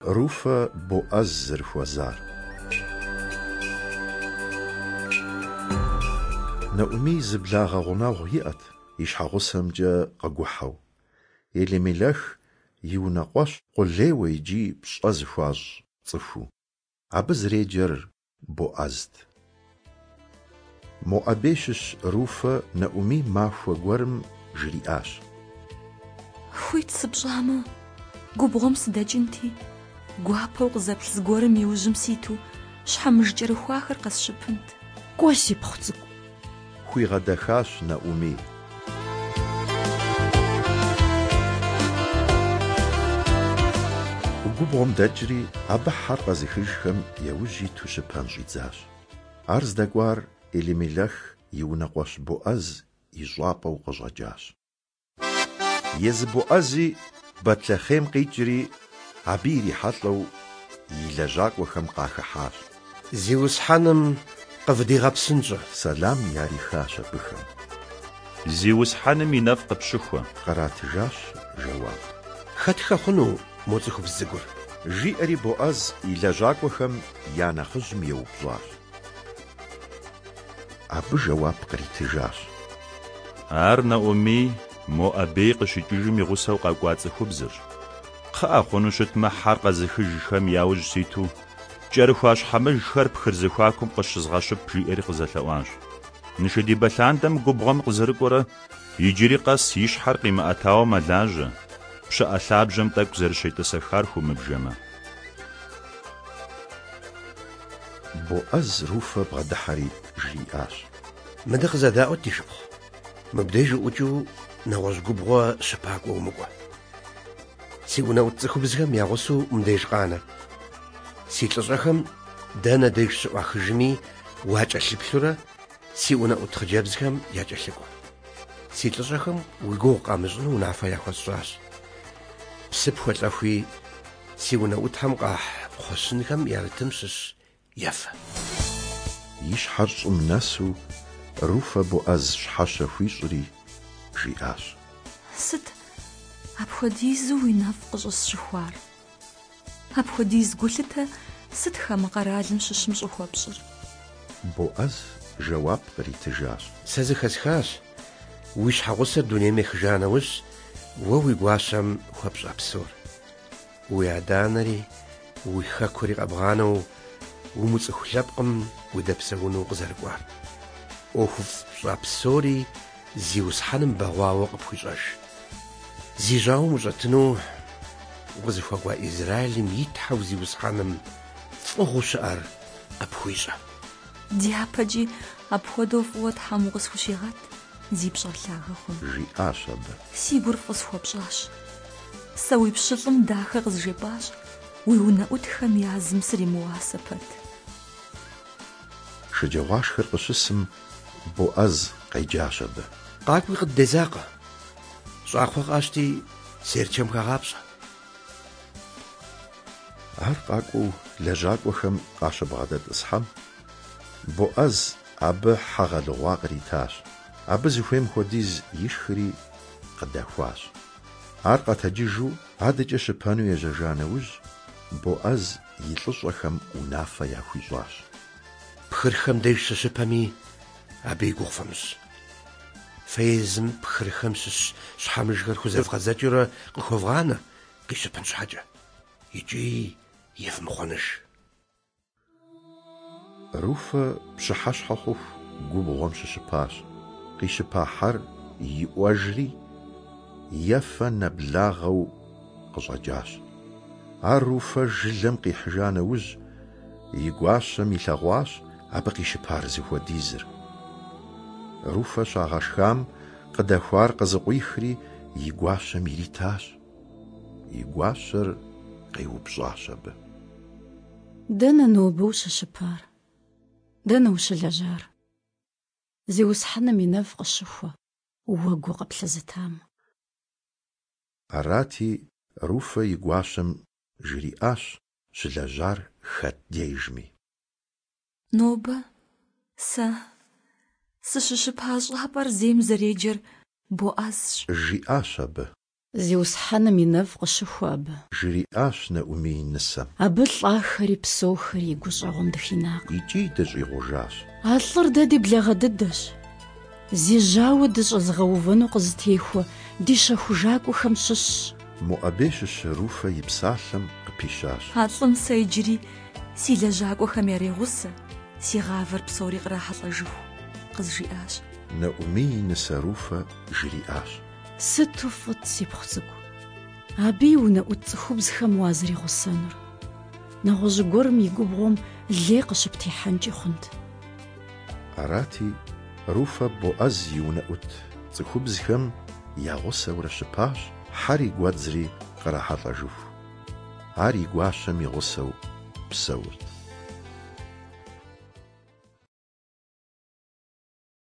Руфэ Боӏэз зэрыхуэзар. Нэӏумий зы благъэ гъунэгъу иӏэт и щхьэгъусэмкӏэ къыгухьэу. Елимелэх и унэкъуэщ къулейуэ икӏи пщӏэ зыхуащӏ цӏыхуу. Абы зэреджэр Боӏэзт. Моӏэбей щыщ Руфэ Нэӏумий махуэ гуэрым жриӏащ. Хуит сыпщӏамэ, губгъуэм сыдэкӏынти, гуапэу къызэплъ зыгуэрым и ужьым ситу щхьэмыж кӏэрыхуахэр къэсщыпынт. Кӏуэ, сипхъу цӏыкӏу. Хуигъэдэхащ Нэӏумий. Губгъуэм дэкӏри, абы хьэр къэзыхыжхэм яужь иту щыпэн щӏидзащ. Ар здэкӏуар Елимелэх и унэкъуэщ Боӏэз и щӏапӏэу къыщӏэкӏащ. Езы Боӏэзи Бэтлъэхъем къикӏри, абы ирихьэлӏэу и лэжьакӏуэхэм къахыхьащ. Зиусхьэным къывдигъэпсынщӏэ. Сэлам ярихащ абыхэм. Зиусхьэным и нэфӏ къыпщыхуэ. Къратыжащ жэуап. Хэтхэ хъуну мо цӏыхубз цӏыкӏур? Жиӏэри Боӏэз и лэжьакӏуэхэм я нэхъыжьым еупщӏащ. Абы жэуап къритыжащ. Ар Нэӏумий Моӏэбей къыщикӏыжым и гъусэу къэкӏуа цӏыхубзырщ. Кхъыӏэ, хъуну щытмэ, хьэр къэзыхыжхэм я ужь ситу, кӏэрыхуа щхьэмыжхэр пхыр зэхуакум къыщызгъэщып, жиӏэри къызэлъэӏуащ. Нышэдибэ лъандэм губгъуэм къызэрыкӏуэрэ иджыри къэс и щхьэр къимыӏэтауэ мэлажьэ, пщыӏэ лъабжьэм тӏэкӏу зэрыщетӏысэхар хыумыбжэмэ. Боӏэз Руфэ бгъэдыхьэри жриӏащ. Мыдэ къызэдаӏуэт, ди шыпхъу. Мыбдеж уӏукӏыу нэгъуэщӏ губгъуэ щыпакӏуэ умыкӏуэ. Си унэӏут цӏыхубзхэм я гъусэу мыбдеж къанэ. Си лӏыщӏэхэм дэнэ деж щыӏуахыжми уакӏэлъыплъурэ си унэӏут хъыджэбзхэм якӏэлъыкӏуэ. Си лӏыщӏэхэм уи гугъу къамыщӏыну унафэ яхуэсщӏащ. Псы пхуэлӏэхуи, си унэӏутхэм къахь кхъуэщынхэм ярытым щыщ ефэ. И щхьэр щӏым нэсу Руфэ Боӏэз щхьэщэ хуищӏри, жиӏащ. Сыт апхуэдизу уи нэфӏ къыщӏысщыхуар? Апхуэдиз гулъытэ сыт хамэ къэралым щыщым щӏыхуэпщӏыр? Боӏэз жэуап къритыжащ. Сэ зэхэсхащ, уи щхьэгъусэр дунейм ехыжа нэужь, уэ уи гуащэм хуэпщӏа псор. Уи адэ-анэри, уи хэкури къэбгъанэу, умыцӏыху лъэпкъым удэпсэуну укъызэрыкӏуар. ӏуэхуфӏ пщӏа псори Зиусхьэным бэгъуауэ къыпхуищӏэж. Зи жьауэм ущӏэтыну укъызыхуэкӏуа Израилым и Тхьэу Зиусхьэным фӏыгъуэу щыӏэр къыпхуищӏэ. Дяпэкӏи апхуэдэу фӏыуэ Тхьэм укъысхущигъэт, зи пщӏэр лъагэ хъун. Жиӏащ абы. Си гур фӏы схуэпщӏащ. Сэ уи пщылӏым дахэ къызжепӏащ, уи унэӏутхэм я зым сримыуасэ пэт. Шэджагъуашхэр къыщысым, Боӏэз къеджащ абы. Къакӏуи къыддезакъэ. Щӏакхъуэ къащти, серчэм хэгъапщӏэ. Ар къакӏуэу лэжьакӏуэхэм къащыбгъэдэтӏысхьэм, Боӏэз абы хьэ гъэлыгъуа къритащ. Абы зыхуейм хуэдиз ишхри, къыдэхуащ. Ар къэтэджыжу адэкӏэ щыпэну ежьэжа нэужь, Боӏэз и лӏыщӏэхэм унафэ яхуищӏащ. Пхырхэм деж щыщыпэми, абы и гугъу фымыщӏ. Фэ езым пхырхэм щыщ щхьэмыжхэр хузэвгъэдзэкӏыурэ къыхуэвгъанэ къищыпын щхьэкӏэ, икӏи евмыхъуэныж. Руфэ пщыхьэщхьэ хъуху губгъуэм щыщыпащ. Къищыпа хьэр иӏуэжри, ефэ нэблагъэу къыщӏэкӏащ. Ар Руфэ жылэм къихьыжа нэужь, и гуащэм илъэгъуащ абы къищыпар зыхуэдизыр. Руфэ щагъэшхам къыдэхуар къызыкъуихри и гуащэм иритащ. И гуащэр къеупщӏащ абы. Дэнэ нобэ ущыщыпар? Дэнэ ущылэжьар? Зиусхьэным и нэфӏ къыщыхуэ, уэ гу къыплъызытам. Арати, Руфэ и гуащэм жриӏащ щылэжьар хэт дежми. Нобэ сэ сыщыщыпа щӏапӏэр зейм зэреджэр Боӏэзщ. Жиӏащ абы. Зиусхьэным и нэфӏ къыщыхуэ абы. Жриӏащ Нэӏумий нысэм. Абы лӏахэри псэухэри и гущӏэгъум дыхинакъым. Икӏи дыщӏигъужащ. А лӏыр дэ ди благъэ дыдэщ. Зи жьауэ дыщӏэзыгъэувэну къызытехуэ ди щэхужакӏуэхэм щыщщ. Моӏэбей щыщ Руфэ и псалъэм къыпищащ. А лӏым сэ иджыри си лэжьакӏуэхэм ярегъусэ, си гъавэр псори кърахьэлӏэжыху, къызжиӏащ. Нэӏумий и нысэ Руфэ жриӏащ. Сыту фӏыт, сипхъу цӏыкӏу, абы и унэӏут цӏыхубзхэм уазэригъусэнур. Нэгъуэщӏ гуэрым и губгъуэм лей къыщыптехьэнкӏи хъунт. Арати, Руфэ Боӏэз и унэӏут цӏыхубзхэм я гъусэурэ щыпащ, хьэри гуэдзри кърахьэлӏэжыху. Ар и гуащэм и гъусэу псэурт.